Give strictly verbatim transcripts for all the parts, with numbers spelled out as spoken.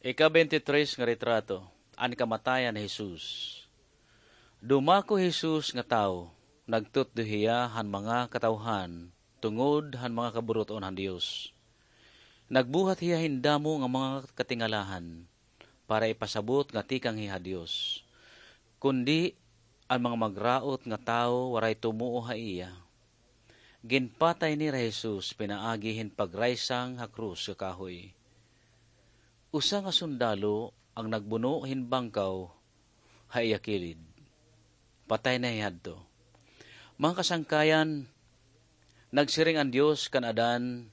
Ika-twenty-three nga retrato, an kamatayan ni Jesus. Dumako hi Jesus nga tawo, nagtutdo hiya han mga katawhan tungod han mga kaburut-on han Dios. Nagbuhat hiya hin damo nga mga katingalahan para ipasabot nga tikang hiya ha Dios. Kundi an mga magraot nga tawo waray tumuo ha iya. Ginpatay nira hi Jesus pinaagi hin pagraysang ha krus nga kahoy. Usa nga sundalo ang nagbuno hin bangkaw ha iya kilid. Patay na hiya hadto. Mga kasangkayan, nagsiring an Dios kan Adan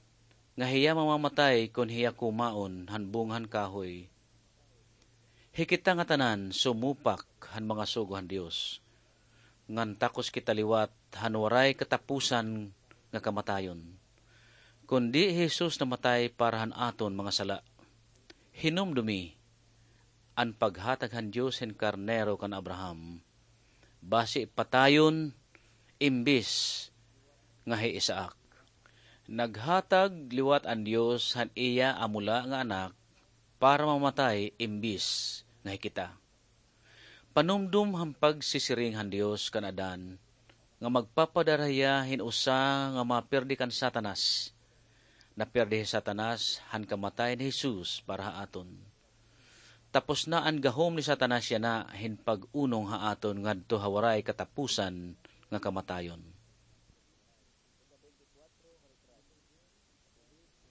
nga hiya mamamatay kon hiya kumaon han bunga han kahoy. Hikita ngatanan sumupak han mga sugo han Dios, ngan takos kita liwat han waray katapusan nga kamatayon. Kundi hi Jesus namatay para han aton mga sala. Hinumdumi an paghatag han Dios hin karnero kan Abraham, basi patayon imbis nga hi Isaac. Naghatag liwat an Dios han iya amo la nga Anak para mamatay imbis nga hi kita. Panumdom han pagsisiring han Dios kan Adan nga magpapadara hiya hin usa nga mapirdi kan Satanas. Napirdi hi Satanas han kamatay ni Jesus para ha aton. Tapos na an gahom ni Satanas yana hin pag-unong ha aton ngadto ha waray katapusan nga kamatayon.